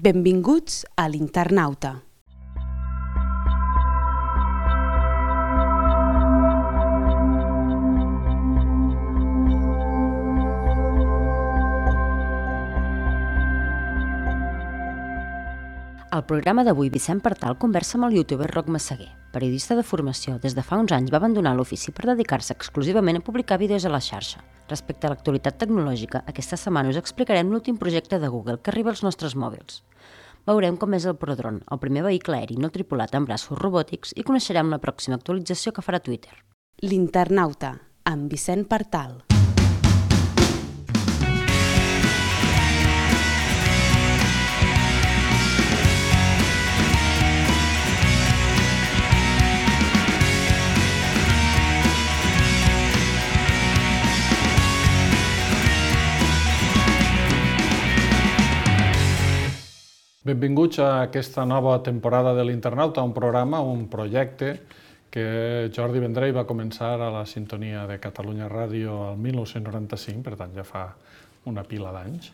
Benvinguts a l'Internauta. Al programa d'avui, Vicent Partal conversa amb el youtuber Roc Massaguer. Periodista de formació, des de fa uns anys va abandonar l'ofici per dedicar-se exclusivament a publicar vídeos a la xarxa. Respecte a l'actualitat tecnològica, aquesta setmana us explicarem l'últim projecte de Google que arriba als nostres mòbils. Veurem com és el Prodrone, el primer vehicle aeri no tripulat amb braços robòtics, i coneixerem la pròxima actualització que farà Twitter. L'Internauta, amb Vicent Partal. Benvinguts a aquesta nova temporada de l'Internauta, un programa, un projecte que Jordi Vendrell va començar a la sintonia de Catalunya Ràdio el 1995, per tant ja fa una pila d'anys,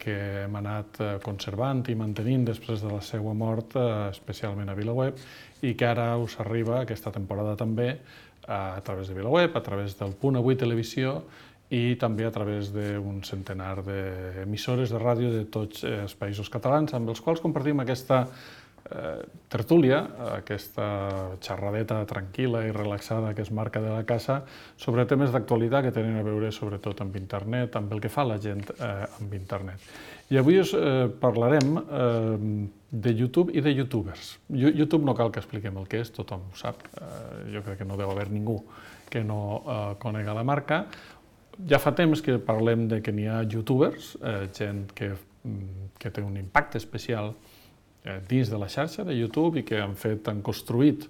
que hem anat conservant i mantenint després de la seva mort, especialment a VilaWeb, i que ara us arriba aquesta temporada també a través de VilaWeb, a través del Punt Avui Televisió, i també a través d'un centenar d'emissores de ràdio de tots els països catalans, amb els quals compartim aquesta tertúlia, aquesta xerradeta tranquil·la i relaxada que es marca de la casa sobre temes d'actualitat que tenen a veure sobretot amb internet, amb el que fa la gent amb internet. I avui us parlarem de YouTube i de youtubers. YouTube no cal que expliquem el que és, tothom ho sap. Jo crec que no deu haver ningú que no conega la marca. Ja fa temps que parlem de que n'hi ha youtubers, gent que té un impacte especial dins de la xarxa de YouTube i que han construït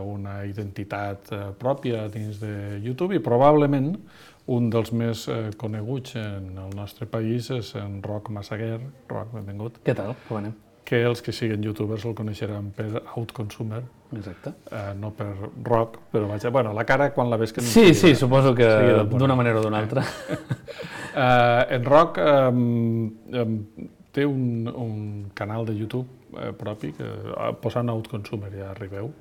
una identitat pròpia dins de YouTube, i probablement un dels més coneguts en el nostre país és en Roc Massaguer. Roc, benvingut. Què tal? Com anem? Que els que siguin youtubers el coneixeran per Outconsumer. Exacte. No per Roc, però vaja, bueno, la cara quan la ves que... Sí, suposo que d'una manera o d'una altra. En Roc té un canal de YouTube propi, que posant Outconsumer ja arribeu.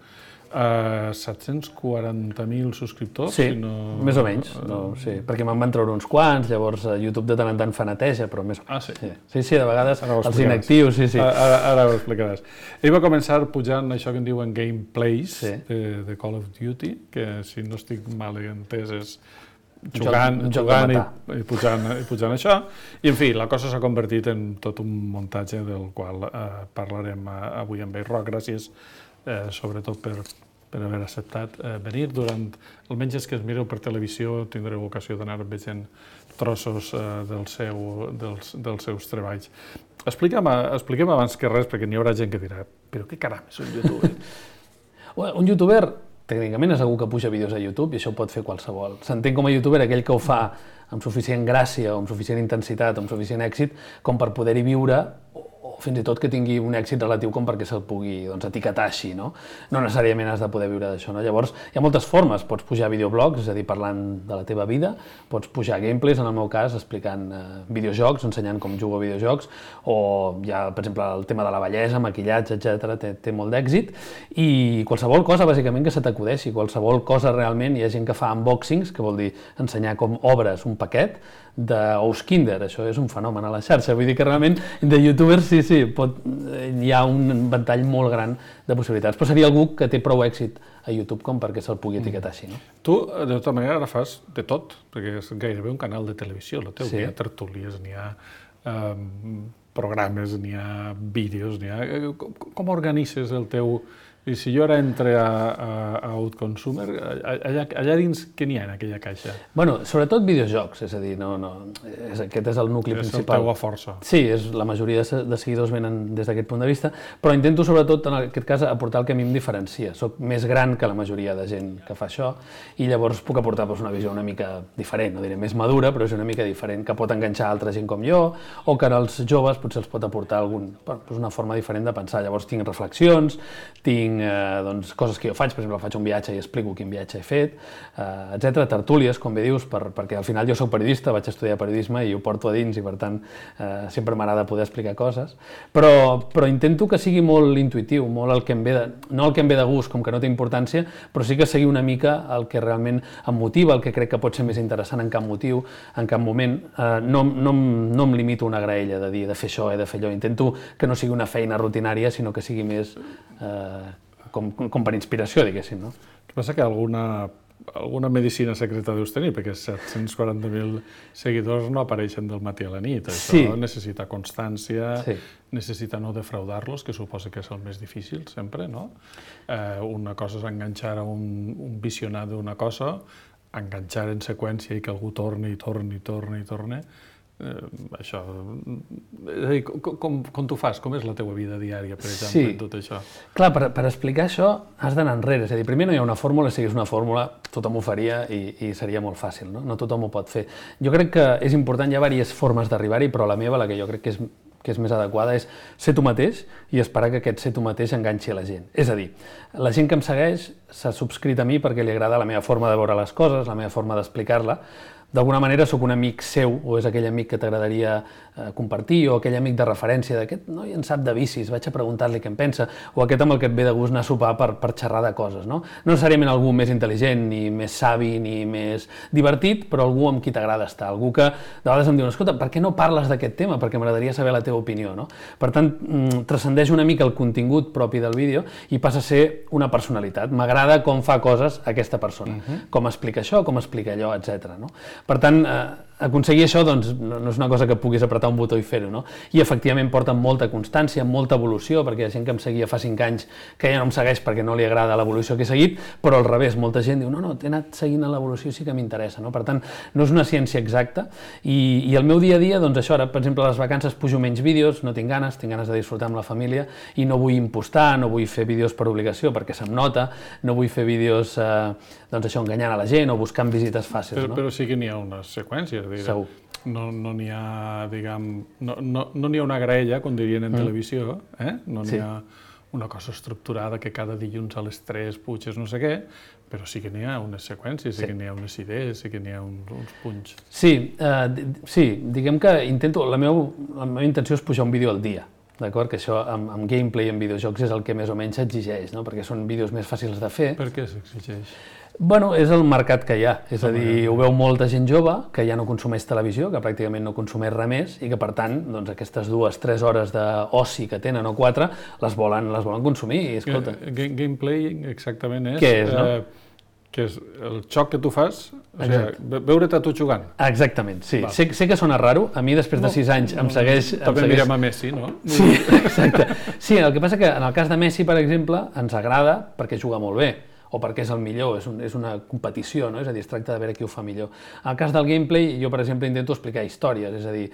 740.000 subscriptors? Sí, més o menys, sí, perquè me'n van treure uns quants, llavors YouTube de tant en tant fa neteja, però més o menys. Ah, sí? Sí, de vegades els inactius, sí. Ara ho explicaràs. Ell va començar pujant això que en diuen gameplays de Call of Duty, que si no estic mal entès és jugant i pujant això. I, en fi, la cosa s'ha convertit en tot un muntatge del qual parlarem avui amb ell. Roc, gràcies sobretot per haver acceptat venir. Durant, almenys els que es mireu per televisió, tindreu ocasió d'anar veient trossos dels seus treballs. Expliquem abans que res, perquè n'hi haurà gent que dirà però què caram és un youtuber? Un youtuber tècnicament és algú que puja vídeos a YouTube i això ho pot fer qualsevol. S'entén com a youtuber aquell que ho fa amb suficient gràcia o amb suficient intensitat o amb suficient èxit com per poder-hi viure, o fins i tot que tingui un èxit relatiu com perquè se'l pugui etiquetar així, no? No necessàriament has de poder viure d'això, no? Llavors, hi ha moltes formes. Pots pujar videoblogs, és a dir, parlant de la teva vida, pots pujar gameplays, en el meu cas, explicant videojocs, ensenyant com jugo a videojocs, o hi ha, per exemple, el tema de la bellesa, maquillatge, etc. Té molt d'èxit, i qualsevol cosa, bàsicament, que se t'acudeixi, qualsevol cosa realment. Hi ha gent que fa unboxings, que vol dir ensenyar com obres un paquet d'ous Kinder. Això és un fenomen a la xarxa. Vull dir que realment de youtubers sí, hi ha un ventall molt gran de possibilitats, però seria algú que té prou èxit a YouTube com perquè se'l pugui etiquetar així, no? Tu, de tota manera, ara fas de tot, perquè és gairebé un canal de televisió, el teu. N'hi ha tertúlies, n'hi ha programes, n'hi ha vídeos, Com organitzes el teu... I si jo ara entre a Outconsumer, allà dins què n'hi ha en aquella caixa? Bueno, sobretot videojocs, és a dir, aquest és el nucli principal. És la teva força. Sí, la majoria de seguidors venen des d'aquest punt de vista, però intento sobretot, en aquest cas, aportar el que a mi em diferencia. Soc més gran que la majoria de gent que fa això i llavors puc aportar una visió una mica diferent, no diré més madura, però és una mica diferent, que pot enganxar altra gent com jo, o que als joves potser els pot aportar una forma diferent de pensar. Llavors tinc reflexions, tinc tinc coses que jo faig, per exemple, faig un viatge i explico quin viatge he fet, etc. Tertúlies, com bé dius, perquè al final jo soc periodista, vaig estudiar periodisme i ho porto a dins i per tant sempre m'agrada poder explicar coses, però intento que sigui molt intuïtiu, molt el que em ve no el que em ve de gust, com que no té importància, però sí que sigui una mica el que realment em motiva, el que crec que pot ser més interessant en cap motiu, en cap moment. No em limito a una graella de dir he de fer això, he de fer allò, intento que no sigui una feina rutinària, sinó que sigui més com per inspiració, diguéssim. No? El que passa que alguna medicina secreta deus tenir, perquè 740.000 seguidors no apareixen del matí a la nit. Això necessita constància, necessita no defraudar-los, que suposa que és el més difícil sempre, no? Una cosa és enganxar a un visionat d'una cosa, enganxar en seqüència i que algú torni, això... És a dir, com t'ho fas? Com és la teua vida diària, per exemple, en tot això? Clar, per explicar això has d'anar enrere. És a dir, primer no hi ha una fórmula, si hi hagués una fórmula tothom ho faria i seria molt fàcil, no? No tothom ho pot fer. Jo crec que és important, hi ha diverses formes d'arribar-hi, però la meva, la que jo crec que és més adequada, és ser tu mateix i esperar que aquest ser tu mateix enganxi a la gent. És a dir, la gent que em segueix s'ha subscrit a mi perquè li agrada la meva forma de veure les coses, la meva forma d'explicar-la. D'alguna manera sóc un amic seu, o és aquell amic que t'agradaria compartir, o aquell amic de referència d'aquest noi en sap de bicis, vaig a preguntar-li què en pensa, o aquest amb el que et ve de gust anar a sopar per xerrar de coses, no? No necessàriament algú més intel·ligent, ni més savi, ni més divertit, però algú amb qui t'agrada estar, algú que de vegades em diu, escolta, per què no parles d'aquest tema? Perquè m'agradaria saber la teva opinió, no? Per tant, transcendeix una mica el contingut propi del vídeo i passa a ser una personalitat. M'agrada com fa coses aquesta persona, com explica això, com explica allò, etc. No? Per tant, aconseguir això doncs, no és una cosa que puguis apretar un botó i fer-ho, no? I efectivament porta molta constància, molta evolució, perquè hi ha gent que em seguia fa 5 anys que ja no em segueix perquè no li agrada l'evolució que he seguit, però al revés, molta gent diu no, t'he anat seguint l'evolució i sí que m'interessa, no? Per tant, no és una ciència exacta i el meu dia a dia, doncs això, ara, per exemple, a les vacances pujo menys vídeos, no tinc ganes de disfrutar amb la família i no vull impostar, no vull fer vídeos per obligació perquè se'm nota, no vull fer vídeos doncs això, enganyant a la gent o buscant visites fàcils, no? Però sí que n'hi ha unes seqüències. Segur. No n'hi ha, diguem, no n'hi ha una graella, com dirien en televisió, no n'hi ha una cosa estructurada que cada dilluns a les 3 puges no sé què, però sí que n'hi ha unes seqüències, sí que n'hi ha unes idees, sí que n'hi ha uns punts. Sí, diguem que la meva intenció és pujar un vídeo al dia, d'acord? Que això amb gameplay, en videojocs, és el que més o menys s'exigeix, no? Perquè són vídeos més fàcils de fer. Per què s'exigeix? Bueno, és el mercat que hi ha, és a dir, ho veu molta gent jove que ja no consumeix televisió, que pràcticament no consumeix res més i que per tant, doncs aquestes 2-3 hores d'oci que tenen o 4 les volen consumir i escolta. Gameplay exactament és... Què és, no? Que és el xoc que tu fas, o sigui, veure't a tu jugant. Exactament, sí. Sé que sona raro, a mi després de 6 anys em segueix... També mirem a Messi, no? Sí, exacte. Sí, el que passa que en el cas de Messi, per exemple, ens agrada perquè juga molt bé, o perquè és el millor, és una competició, no? És a dir, es tracta de veure qui ho fa millor. En el cas del gameplay, jo, per exemple, intento explicar històries, és a dir,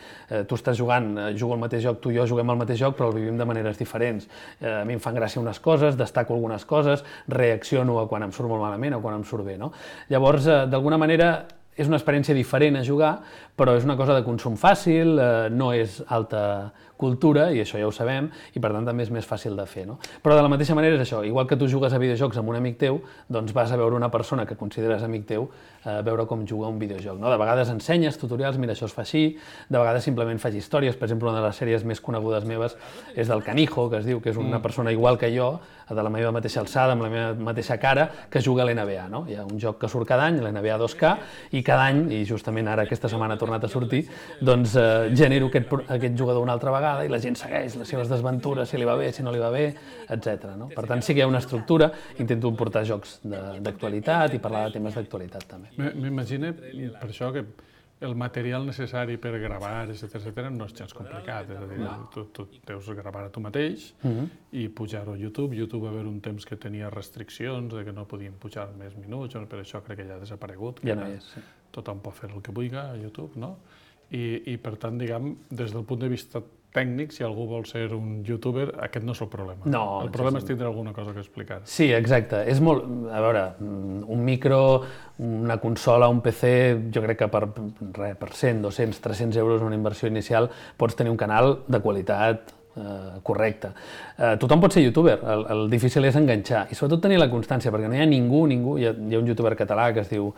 tu estàs jugant, jugo al mateix joc, tu i jo juguem al mateix joc, però el vivim de maneres diferents. A mi em fan gràcia unes coses, destaco algunes coses, reacciono a quan em surt molt malament o quan em surt bé, no? Llavors, d'alguna manera, és una experiència diferent a jugar, però és una cosa de consum fàcil, no és alta cultura, i això ja ho sabem, i per tant també és més fàcil de fer, no? Però de la mateixa manera és això, igual que tu jugues a videojocs amb un amic teu, doncs vas a veure una persona que consideres amic teu, veure com juga un videojoc, no? De vegades ensenyes tutorials, mira, això es fa així, de vegades simplement faig històries, per exemple, una de les sèries més conegudes meves és del Canijo, que es diu, que és una persona igual que jo, de la meva mateixa alçada, amb la meva mateixa cara, que juga a l'NBA, no? Hi ha un joc que surt cada any, l'NBA 2K, i cada any, i justament ara aquesta setmana ha tornat a sortir, doncs genero aquest jugador una altra vegada i la gent segueix les seves desventures, si li va bé, si no li va bé, etc. No? Per tant, sí que hi ha una estructura, intento portar jocs d'actualitat i parlar de temes d'actualitat també. M'imagino, per això, que el material necessari per gravar, etc., no és gens complicat. És a dir, tu deus gravar a tu mateix i pujar-ho a YouTube. YouTube va haver un temps que tenia restriccions, de que no podien pujar més minuts, per això crec que ja ha desaparegut. Ja no és, sí. Tothom pot fer el que vulgui a YouTube, no? I per tant, diguem, des del punt de vista tècnic, si algú vol ser un youtuber, aquest no és el problema. No, el problema és tindre alguna cosa que explicar. Sí, exacte. És molt... A veure, un micro, una consola, un PC, jo crec que per 100, 200, 300 euros una inversió inicial pots tenir un canal de qualitat correcte. Tothom pot ser youtuber, el difícil és enganxar i sobretot tenir la constància, perquè no hi ha ningú, hi ha un youtuber català que es diu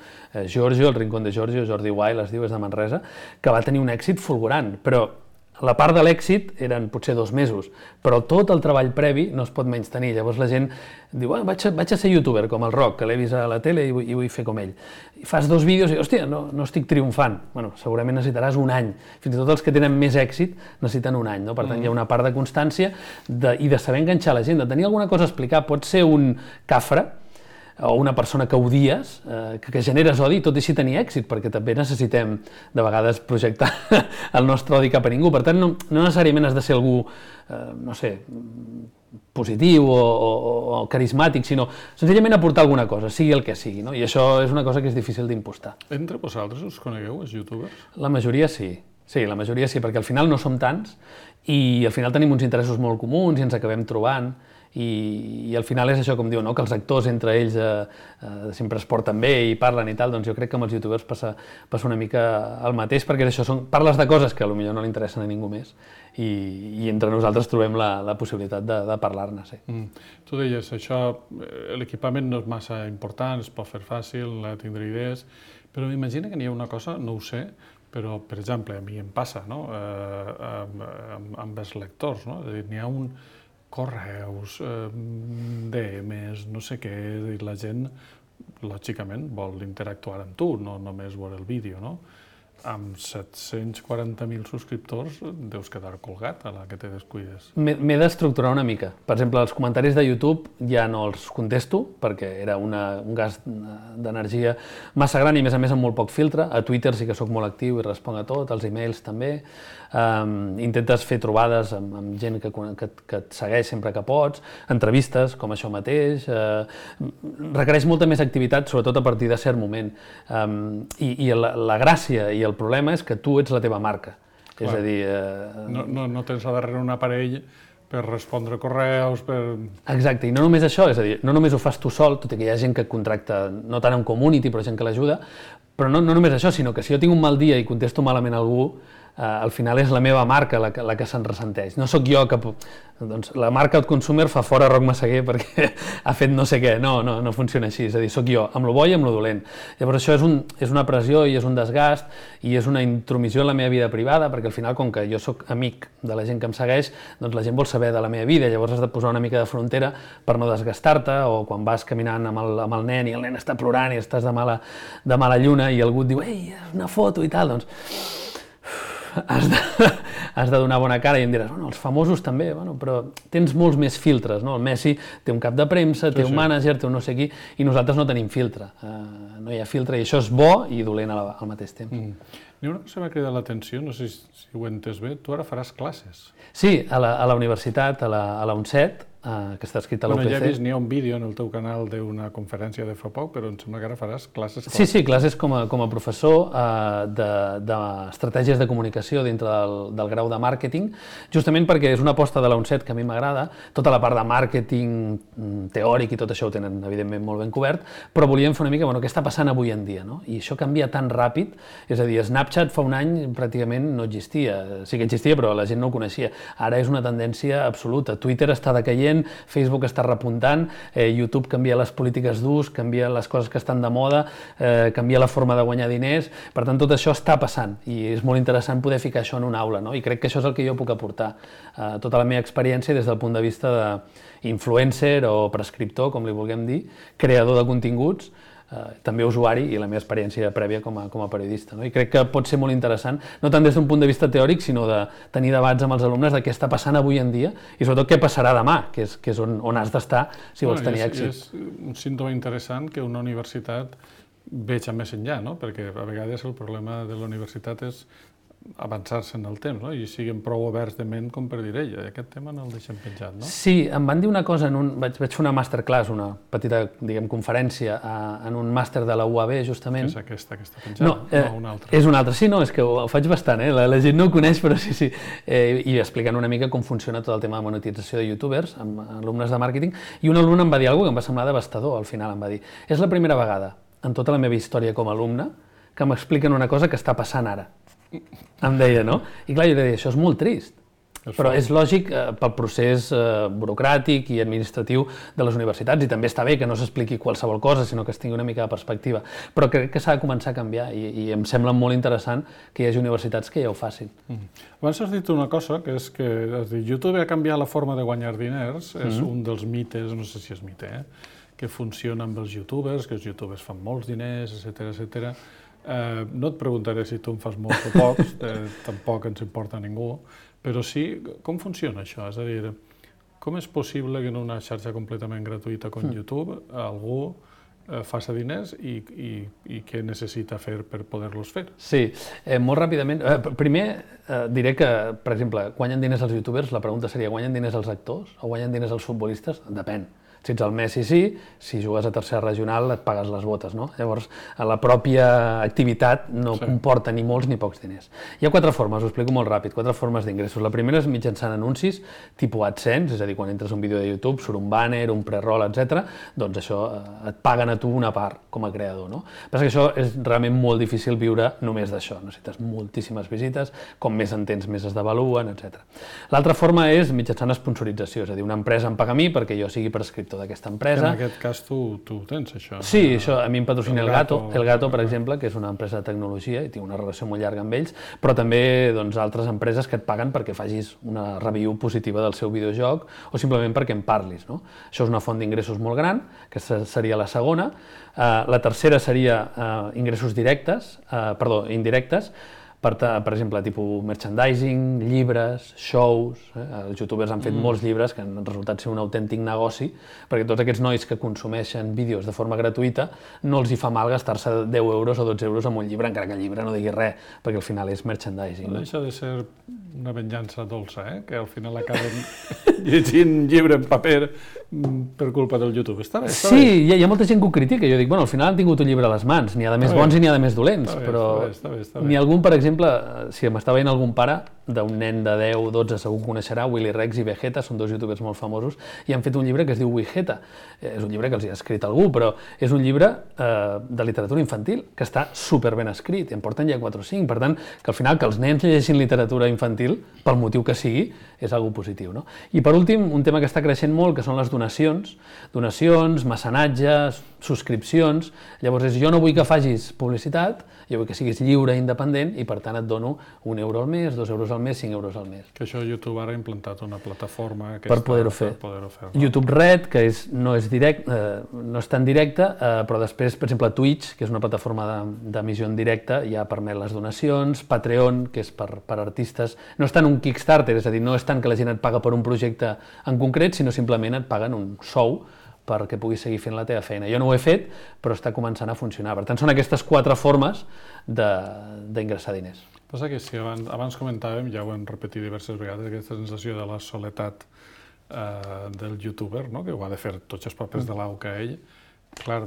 Giorgio, el Rincón de Giorgio, Jordi Wild es diu, és de Manresa, que va tenir un èxit fulgurant, però la part de l'èxit eren potser 2 mesos, però tot el treball previ no es pot menystenir. Llavors la gent diu, vaig a ser youtuber, com el Roc, que l'he vist a la tele i vull fer com ell. I fas 2 vídeos i, hòstia, no estic triomfant. Bueno, segurament necessitaràs un any. Fins i tot els que tenen més èxit necessiten un any, no? Per tant, hi ha una part de constància i de saber enganxar la gent, de tenir alguna cosa a explicar. Pot ser un cafre, o una persona que odies, que generes odi, tot i així tenir èxit, perquè també necessitem, de vegades, projectar el nostre odi cap a ningú. Per tant, no necessàriament has de ser algú, no sé, positiu o carismàtic, sinó senzillament aportar alguna cosa, sigui el que sigui, no? I això és una cosa que és difícil d'impostar. Entre vosaltres us conegueu, els youtubers? La majoria sí. Sí, la majoria sí, perquè al final no som tants i al final tenim uns interessos molt comuns i ens acabem trobant. I al final és això, com diu, no? Que els actors entre ells sempre es porten bé i parlen i tal, doncs jo crec que amb els youtubers passa una mica el mateix, perquè això parles de coses que potser no li interessen a ningú més i entre nosaltres trobem la possibilitat de parlar-ne. Sí. Tu deies, això, l'equipament no és massa important, es pot fer fàcil, tindre idees, però m'imagino que n'hi ha una cosa, no ho sé, però, per exemple, a mi em passa, no? Amb els lectors, no? És a dir, n'hi ha un correus, DMs, no sé què, i la gent, lògicament, vol interactuar amb tu, no només veure el vídeo, no? Amb 740.000 subscriptors deus quedar colgat a la que te descuides. M'he d'estructurar una mica. Per exemple, els comentaris de YouTube ja no els contesto, perquè era un gast d'energia massa gran i, a més amb molt poc filtre. A Twitter sí que sóc molt actiu i responc a tot, als e-mails també. Intentes fer trobades amb gent que et segueix sempre que pots, entrevistes, com això mateix. Requereix molta més activitat, sobretot a partir de cert moment. I la gràcia i el problema és que tu ets la teva marca. Clar. És a dir... No tens a darrere un aparell per respondre correus, per... Exacte, i no només això, és a dir, no només ho fas tu sol, tot i que hi ha gent que contracta, no tant en community, però gent que l'ajuda, però no només això, sinó que si jo tinc un mal dia i contesto malament a algú, al final és la meva marca la que se'n ressenteix. No sóc jo que... Doncs la marca Outconsumer fa fora Roc Massaguer perquè ha fet no sé què. No funciona així. És a dir, sóc jo, amb lo bo i amb lo dolent. Llavors això és una pressió i és un desgast i és una intromissió en la meva vida privada, perquè al final, com que jo sóc amic de la gent que em segueix, doncs la gent vol saber de la meva vida. Llavors has de posar una mica de frontera per no desgastar-te, o quan vas caminant amb el nen i el nen està plorant i estàs de mala lluna i algú et diu «Ei, una foto» i tal, doncs has de donar bona cara i em diràs, bueno, els famosos també, bueno, però tens molts més filtres, no? El Messi té un cap de premsa, té un mànager, té un no sé qui, i nosaltres no tenim filtre. No hi ha filtre i això és bo i dolent al mateix temps. N'hi ha una cosa que m'ha cridat l'atenció, no sé si ho he entès bé, tu ara faràs classes. Sí, a la universitat, a la UNCET, que està escrit a l'UPC. Ja he vist, n'hi ha un vídeo en el teu canal d'una conferència de fa poc, però em sembla que ara faràs classes. Sí, classes com a professor d'estratègies de comunicació dintre del grau de màrqueting, justament perquè és una aposta de la UNCET que a mi m'agrada, tota la part de màrqueting teòric i tot això ho tenen, evidentment, molt ben cobert, però volíem fer una mica, què està passant avui en dia, no? I això canvia tan ràpid, és a dir, Snapchat fa un any pràcticament no existia, sí que existia, però la gent no ho coneixia. Ara és una tendència absoluta. Twitter està decaient, Facebook està repuntant, YouTube canvia les polítiques d'ús, canvia les coses que estan de moda, canvia la forma de guanyar diners, per tant tot això està passant i és molt interessant poder ficar això en una aula, no? I crec que això és el que jo puc aportar, tota la meva experiència des del punt de vista d'influencer o prescriptor, com li vulguem dir, creador de continguts, també usuari i la meva experiència prèvia com a periodista. I crec que pot ser molt interessant, no tant des d'un punt de vista teòric, sinó de tenir debats amb els alumnes de què està passant avui en dia i sobretot què passarà demà, que és on has d'estar si vols tenir èxit. És un símptoma interessant que una universitat veja més enllà, perquè a vegades el problema de la universitat és avançar-se en el temps, i siguin prou oberts de ment com per dir, aquest tema no el deixem penjat, no? Sí, em van dir una cosa, vaig fer una masterclass, una petita, conferència en un màster de la UAB, justament. És aquesta que està penjat? No, una altra. És una altra, sí, és que ho faig bastant, la gent no ho coneix, però sí. I explicant una mica com funciona tot el tema de monetització de youtubers, amb alumnes de màrqueting, i un alumne em va dir alguna cosa que em va semblar devastador, al final em va dir, és la primera vegada en tota la meva història com a alumne que m'expliquen una cosa que està passant ara. Em deia, no? I clar, jo li deia, això és molt trist. Però és lògic pel procés burocràtic i administratiu de les universitats, i també està bé que no s'expliqui qualsevol cosa, sinó que es tingui una mica de perspectiva. Però crec que s'ha de començar a canviar i em sembla molt interessant que hi hagi universitats que ja ho facin. Abans has dit una cosa, que és que YouTube ha canviat la forma de guanyar diners, és un dels mites, no sé si és mite, que funciona amb els youtubers, que els youtubers fan molts diners, etc. No et preguntaré si tu en fas molts o pocs, tampoc ens importa a ningú, però sí, com funciona això? És a dir, com és possible que en una xarxa completament gratuïta com YouTube algú faci diners i què necessita fer per poder-los fer? Sí, molt ràpidament. Primer diré que, per exemple, guanyen diners els youtubers, la pregunta seria, guanyen diners els actors o guanyen diners els futbolistes? Depèn. Si ets el Messi, sí, si jugues a tercera regional et pagues les botes, no? Llavors, la pròpia activitat no comporta ni molts ni pocs diners. Hi ha 4 formes, ho explico molt ràpid, 4 formes d'ingressos. La primera és mitjançant anuncis, tipus AdSense, és a dir, quan entres a un vídeo de YouTube, surt un banner, un pre-roll, etc. Doncs això et paguen a tu una part com a creador, no? Però que això és realment molt difícil viure només d'això. Necessites moltíssimes visites, com més en tens, més es devaluen, etc. L'altra forma és mitjançant sponsorització, és a dir, una empresa em paga a mi perquè jo sigui prescriptor d'aquesta empresa. En aquest cas tu ho tens, això. Sí, això a mi em patrocina El Gato, per exemple, que és una empresa de tecnologia i tinc una relació molt llarga amb ells, però també altres empreses que et paguen perquè facis una review positiva del seu videojoc o simplement perquè en parlis, no? Això és una font d'ingressos molt gran, que seria la segona. La tercera seria ingressos indirectes, per exemple, tipus merchandising, llibres, shows. Els youtubers han fet molts llibres que han resultat ser un autèntic negoci, perquè tots aquests nois que consumeixen vídeos de forma gratuïta no els hi fa mal gastar-se 10 euros o 12 euros en un llibre, encara que el llibre no digui res, perquè al final és merchandising. No deixa de ser una venjança dolça, que al final acaben llegint llibre en paper per culpa del YouTube. Està bé, està bé. Sí, hi ha molta gent que ho critica. Jo dic, bueno, al final han tingut un llibre a les mans. N'hi ha de més bons i n'hi ha de més dolents. Però n'hi ha algun, per exemple, si m'està veient algun pare d'un nen de 10 o 12, segur que coneixerà, Willy Rex i Vegeta, són 2 youtubers molt famosos, i han fet un llibre que es diu Wigeta. És un llibre que els hi ha escrit algú, però és un llibre de literatura infantil que està superben escrit, i en porten ja 4 o 5. Per tant, que al final que els nens llegeixin literatura infantil, pel motiu que sigui, és algo positiu, no? I per últim, un tema que està creixent molt, que són les donacions, mecenatges, subscripcions. Llavors jo no vull que facis publicitat, jo vull que siguis lliure i independent i per tant et dono 1 euro al mes, 2 euros al mes, 5 euros al mes. Que això YouTube ara ha implantat una plataforma per poder-ho fer. YouTube Red, que no és tan directe, però després, per exemple, Twitch, que és una plataforma d'emissió en directe, ja permet les donacions, Patreon, que és per artistes, no és tant un Kickstarter, és a dir, no és tant que la gent et paga per un projecte en concret, sinó simplement et paguen un sou perquè puguis seguir fent la teva feina. Jo no ho he fet, però està començant a funcionar. Per tant, són aquestes 4 formes d'ingressar diners. Passa que si abans comentàvem, ja ho hem repetit diverses vegades, aquesta sensació de la soledat del youtuber, que ho ha de fer tots els papers de l'au que ell, clar,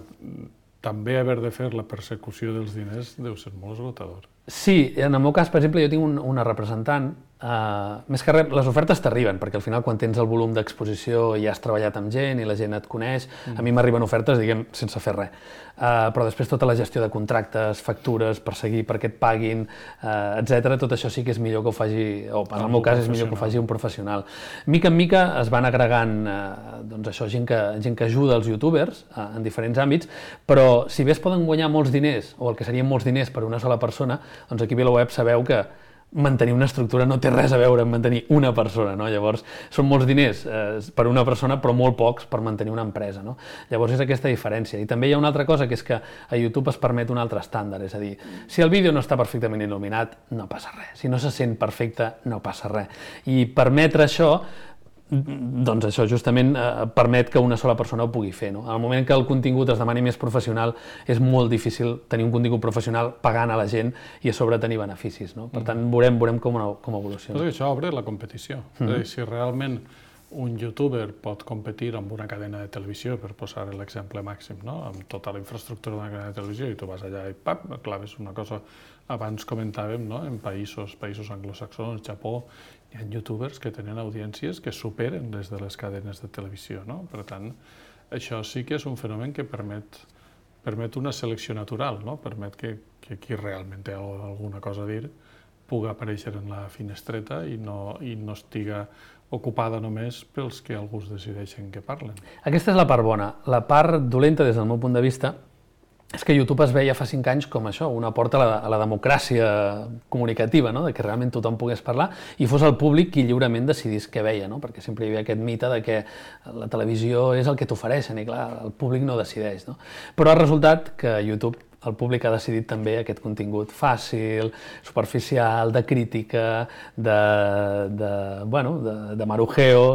també haver de fer la persecució dels diners deu ser molt esgotador. Sí, en el meu cas, per exemple, jo tinc una representant. Més que res, les ofertes t'arriben, perquè al final quan tens el volum d'exposició i has treballat amb gent i la gent et coneix, a mi m'arriben ofertes, diguem, sense fer res. Però després tota la gestió de contractes, factures, perseguir perquè et paguin, etc. Tot això sí que és millor que ho faci, o en el meu cas és millor que ho faci un professional. Mica en mica es van agregant gent que ajuda els youtubers en diferents àmbits, però si bé es poden guanyar molts diners, o el que serien molts diners per una sola persona, doncs aquí a VilaWeb sabeu que mantenir una estructura no té res a veure amb mantenir una persona, no? Llavors, són molts diners per una persona, però molt pocs per mantenir una empresa, no? Llavors és aquesta diferència. I també hi ha una altra cosa, que és que a YouTube es permet un altre estàndard, és a dir, si el vídeo no està perfectament il·luminat, no passa res. Si no se sent perfecte, no passa res. I permetre això, doncs això justament permet que una sola persona ho pugui fer, no? En el moment que el contingut es demani més professional, és molt difícil tenir un contingut professional pagant a la gent i a sobre tenir beneficis, no? Per tant, veurem com evoluciona. Però això obre la competició. És a dir, si realment un youtuber pot competir amb una cadena de televisió, per posar l'exemple màxim, no? Amb tota la infraestructura d'una cadena de televisió, i tu vas allà i pap, claves una cosa. Abans comentàvem, no? En països anglosaxons, Japó, hi ha youtubers que tenen audiències que superen les de les cadenes de televisió, no? Per tant, això sí que és un fenomen que permet una selecció natural, no? Permet que qui realment té alguna cosa a dir pugui aparèixer en la finestreta i no estiga ocupada només pels que alguns decideixen que parlen. Aquesta és la part bona. La part dolenta, des del meu punt de vista, és que YouTube es veia fa 5 anys com això, una porta a la democràcia comunicativa, no? De que realment tothom pogués parlar i fos el públic qui lliurement decidís què veia, no? Perquè sempre hi havia aquest mite de que la televisió és el que t'ofereixen i clar, el públic no decideix, no? Però ha resultat que YouTube, el públic ha decidit també aquest contingut fàcil, superficial, de crítica, de marujeo.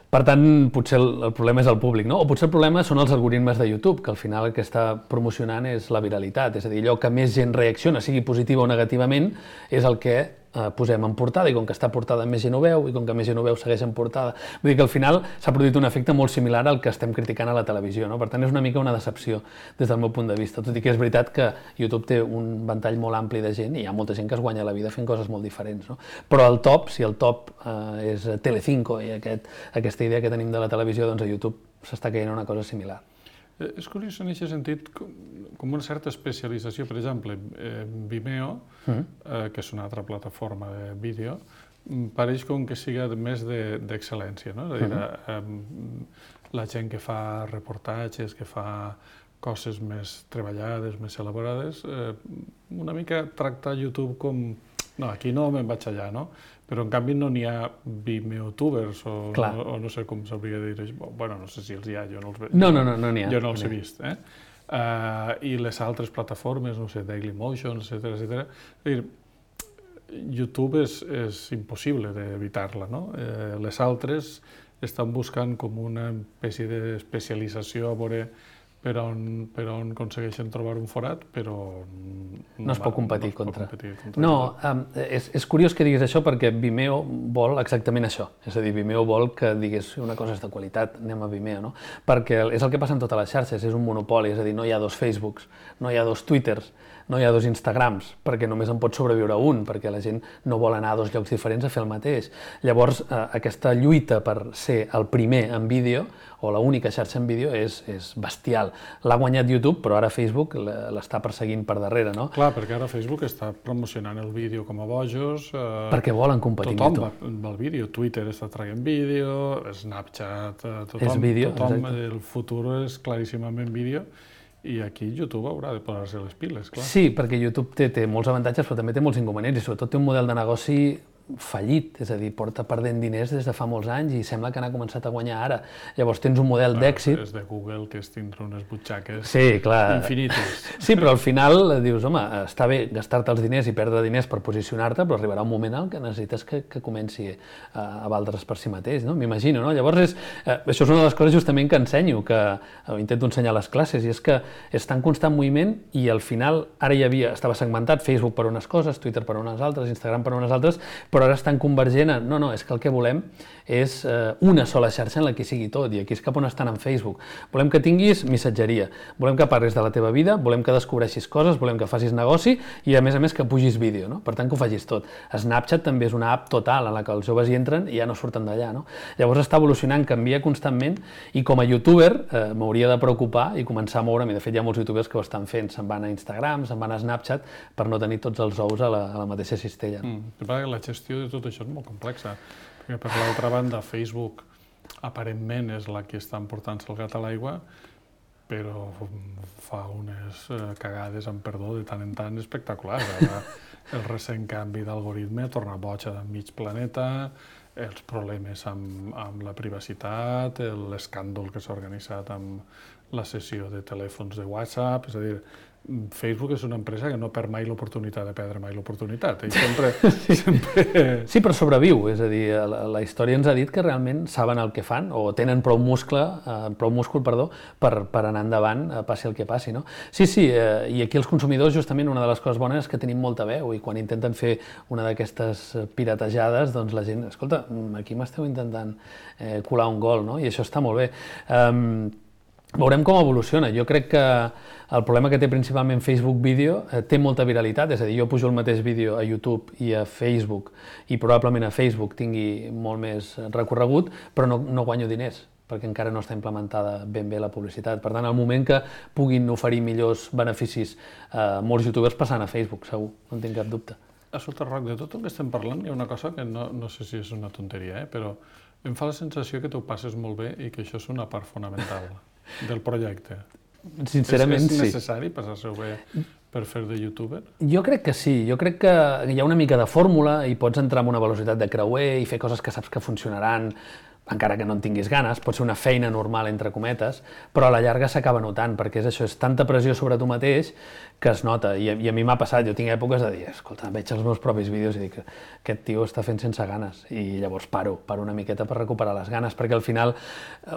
Per tant, potser el problema és el públic, no? O potser el problema són els algoritmes de YouTube, que al final el que està promocionant és la viralitat, és a dir, allò que més gent reacciona, sigui positiva o negativament, és el que posem en portada, i com que està portada més gent ho veu, i com que més gent ho veu segueix en portada. Vull dir que al final s'ha produït un efecte molt similar al que estem criticant a la televisió, no? Per tant, és una mica una decepció des del meu punt de vista, tot i que és veritat que YouTube té un ventall molt ampli de gent i hi ha molta gent que es guanya la vida fent coses molt diferents, no? Però el top, si el top és Telecinco i aquesta idea que tenim de la televisió, doncs a YouTube s'està caient una cosa similar. És curiós en aquest sentit com una certa especialització. Per exemple, Vimeo, que és una altra plataforma de vídeo, pareix com que siga més d'excel·lència, no? És a dir, la gent que fa reportatges, que fa coses més treballades, més elaborades, una mica tracta YouTube com... No, aquí no me'n vaig allà, no? Però en canvi no n'hi ha Vimeotubers o no sé com s'hauria de dir. Bueno, no sé si els hi ha, jo no els veig. No n'hi ha. Jo no els he vist. I les altres plataformes, no sé, Dailymotion, etcètera. És a dir, YouTube és impossible d'evitar-la, no? Les altres estan buscant com una espècie d'especialització a veure per on aconsegueixen trobar un forat, però... No es pot competir contra. No, és curiós que diguis això perquè Vimeo vol exactament això. És a dir, Vimeo vol que diguis una cosa és de qualitat, anem a Vimeo, no? Perquè és el que passa en totes les xarxes, és un monopoli, és a dir, no hi ha 2 Facebooks, no hi ha 2 Twitters, no hi ha 2 Instagrams, perquè només en pot sobreviure un, perquè la gent no vol anar a 2 llocs diferents a fer el mateix. Llavors, aquesta lluita per ser el primer en vídeo, o l'única xarxa en vídeo, és bestial. L'ha guanyat YouTube, però ara Facebook l'està perseguint per darrere, no? Clar, perquè ara Facebook està promocionant el vídeo com a bojos. Perquè volen competir amb YouTube. Tothom va al vídeo, Twitter està traient vídeo, Snapchat, tothom. És vídeo, exacte. El futur és claríssimament vídeo. I aquí YouTube haurà de posar-se les piles, clar. Sí, perquè YouTube té molts avantatges, però també té molts inconvenients, i sobretot té un model de negoci fallit, és a dir, porta perdent diners des de fa molts anys i sembla que n'ha començat a guanyar ara. Llavors tens un model d'èxit... És de Google, que és tindre unes butxaques infinites. Sí, però al final dius, home, està bé gastar-te els diners i perdre diners per posicionar-te, però arribarà un moment en què necessites que comenci a valdre's per si mateix, no? M'imagino, no? Llavors, això és una de les coses justament que ensenyo, que intento ensenyar a les classes, i és que és tan constant moviment i al final ara estava segmentat Facebook per unes coses, Twitter per unes altres, Instagram per unes altres, però ara estan convergent en... No, és que el que volem és una sola xarxa en la que sigui tot, i aquí és cap on estan en Facebook. Volem que tinguis missatgeria, volem que parlis de la teva vida, volem que descobreixis coses, volem que facis negoci i, a més, que pugis vídeo, no? Per tant, que ho facis tot. Snapchat també és una app total en la que els joves hi entren i ja no surten d'allà, no? Llavors està evolucionant, canvia constantment, i com a youtuber m'hauria de preocupar i començar a moure'm, i de fet hi ha molts youtubers que ho estan fent, se'n van a Instagram, se'n van a Snapchat, per no tenir tots els ous a la mateixa cistella. La gestió de tot això és molt complexa, perquè per l'altra banda Facebook aparentment és la que està emportant-se el gat a l'aigua, però fa unes cagades, amb perdó, de tant en tant espectaculars. El recent canvi d'algoritme torna boig a mig planeta, els problemes amb la privacitat, l'escàndol que s'ha organitzat amb la sessió de telèfons de WhatsApp, és a dir, Facebook és una empresa que no perd mai l'oportunitat de perdre mai l'oportunitat. Sempre... Sí, però sobreviu. És a dir, la història ens ha dit que realment saben el que fan o tenen prou múscul per anar endavant, passi el que passi, no? Sí, i aquí els consumidors, justament, una de les coses bones és que tenim molta veu i quan intenten fer una d'aquestes piratejades, doncs la gent, escolta, aquí m'esteu intentant colar un gol, no? I això està molt bé. Veurem com evoluciona. Jo crec que el problema que té principalment Facebook Vídeo té molta viralitat, és a dir, jo pujo el mateix vídeo a YouTube i a Facebook i probablement a Facebook tingui molt més recorregut, però no guanyo diners, perquè encara no està implementada ben bé la publicitat. Per tant, al moment que puguin oferir millors beneficis molts youtubers passant a Facebook, segur, no en tinc cap dubte. Escolta, Roc, de tot el que estem parlant hi ha una cosa que no sé si és una tonteria, però em fa la sensació que t'ho passes molt bé i que això és una part fonamental del projecte. Sincerament, sí. És necessari passar-se-ho bé per fer de youtuber? Jo crec que sí. Jo crec que hi ha una mica de fórmula i pots entrar amb una velocitat de creuer i fer coses que saps que funcionaran, encara que no en tinguis ganes, pot ser una feina normal, entre cometes, però a la llarga s'acaba notant, perquè és això, és tanta pressió sobre tu mateix que es nota. I a mi m'ha passat, jo tinc èpoques de dir, escolta, veig els meus propis vídeos i dic, aquest tio està fent sense ganes, i llavors paro una miqueta per recuperar les ganes, perquè al final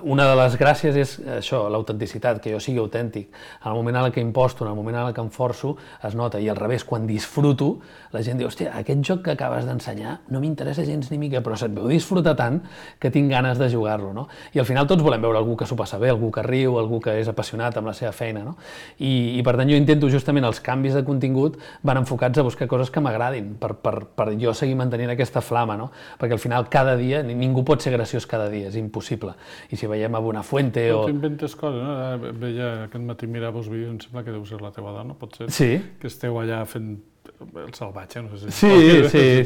una de les gràcies és això, l'autenticitat, que jo sigui autèntic. En el moment en què imposto, en el moment en què em forço, es nota, i al revés, quan disfruto, la gent diu, hòstia, aquest joc que acabes d'ensenyar no m'interessa gens ni mica, però se't veu disfrutar tant que tinc ganes de jugar-lo, no? I al final tots volem veure algú que s'ho passa bé, algú que riu, algú que és apassionat amb la seva feina, no? I per tant jo intento justament els canvis de contingut van enfocats a buscar coses que m'agradin, per jo seguir mantenint aquesta flama, no? Perquè al final cada dia, ningú pot ser graciós cada dia, és impossible. I si veiem a Buenafuente o... Tu inventes coses, no? Veia aquest matí mirava els vídeos, em sembla que deu ser la teva dona, pot ser? Sí. Que esteu allà fent el salvatge, no sé si sí.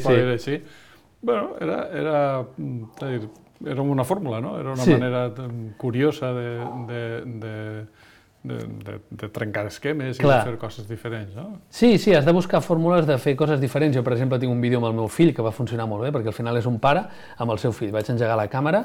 Pot dir així. Bueno, era una fórmula, no? Era una manera curiosa de trencar esquemes i de fer coses diferents, no? Sí, has de buscar fórmules de fer coses diferents. Jo, per exemple, tinc un vídeo amb el meu fill que va funcionar molt bé, perquè al final és un pare amb el seu fill. Vaig engegar la càmera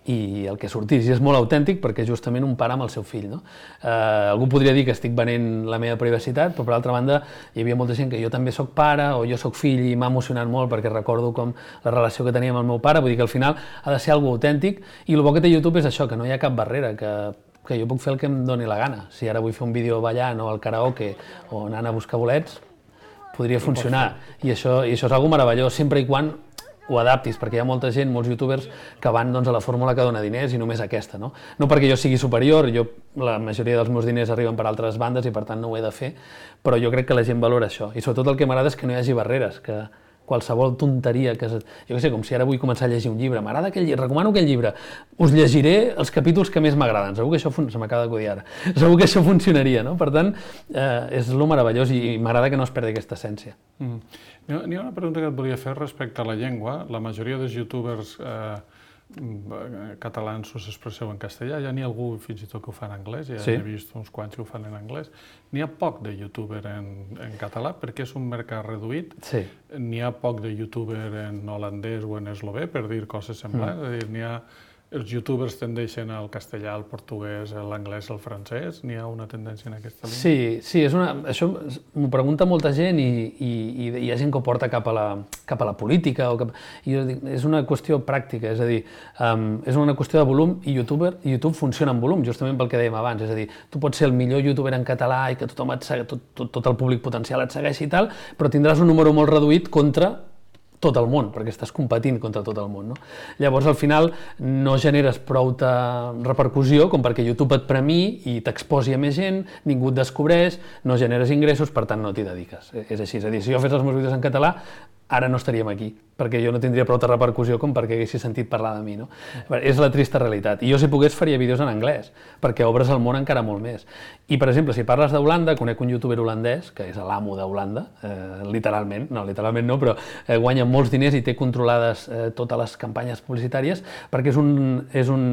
i el que sortís, i és molt autèntic perquè és justament un pare amb el seu fill, no? Algú podria dir que estic venent la meva privacitat, però per altra banda hi havia molta gent que jo també soc pare o jo soc fill i m'ha emocionat molt perquè recordo com la relació que tenia amb el meu pare, vull dir que al final ha de ser algo autèntic, i el bo que té YouTube és això, que no hi ha cap barrera, que jo puc fer el que em doni la gana. Si ara vull fer un vídeo ballant o al karaoke o anant a buscar bolets, podria funcionar, i això és algo meravellós, sempre i quan ho adaptis, perquè hi ha molta gent, molts youtubers, que van a la fórmula que dona diners i només aquesta, no? No perquè jo sigui superior, la majoria dels meus diners arriben per altres bandes i per tant no ho he de fer, però jo crec que la gent valora això, i sobretot el que m'agrada és que no hi hagi barreres, que qualsevol tonteria, jo què sé, com si ara vull començar a llegir un llibre, m'agrada aquell llibre, recomano aquell llibre, us llegiré els capítols que més m'agraden, segur que això, se m'acaba d'acudir ara, segur que això funcionaria, no? Per tant, és lo meravellós i m'agrada que no es perdi aquesta essència. N'hi ha una pregunta que et volia fer respecte a la llengua. La majoria dels youtubers catalans us expresseu en castellà, ja n'hi ha algú fins i tot que ho fa en anglès, ja he vist uns quants que ho fan en anglès. N'hi ha poc de youtuber en català perquè és un mercat reduït. N'hi ha poc de youtuber en holandès o en eslové, per dir coses semblants. És a dir, els youtubers tendeixen al castellà, al portuguès, a l'anglès, al francès? N'hi ha una tendència en aquesta línia? Sí, això m'ho pregunta molta gent i hi ha gent que ho porta cap a la política. I jo dic, és una qüestió pràctica, és a dir, és una qüestió de volum, i YouTube funciona en volum, justament pel que dèiem abans. És a dir, tu pots ser el millor youtuber en català i que tothom et segui, tot el públic potencial et segueixi i tal, però tindràs un número molt reduït contra tot el món, perquè estàs competint contra tot el món, no? Llavors, al final, no generes prou repercussió com perquè YouTube et premiï i t'exposi a més gent, ningú et descobreix, no generes ingressos, per tant, no t'hi dediques. És així, és a dir, si jo fes els meus vídeos en català, ara no estaríem aquí, perquè jo no tindria prou repercussió com perquè haguessis sentit parlar de mi, no? És la trista realitat. I jo, si pogués, faria vídeos en anglès, perquè obres el món encara molt més. I, per exemple, si parles d'Holanda, conec un youtuber holandès, que és l'amo d'Holanda, literalment no, però guanya molts diners i té controlades totes les campanyes publicitàries, perquè és un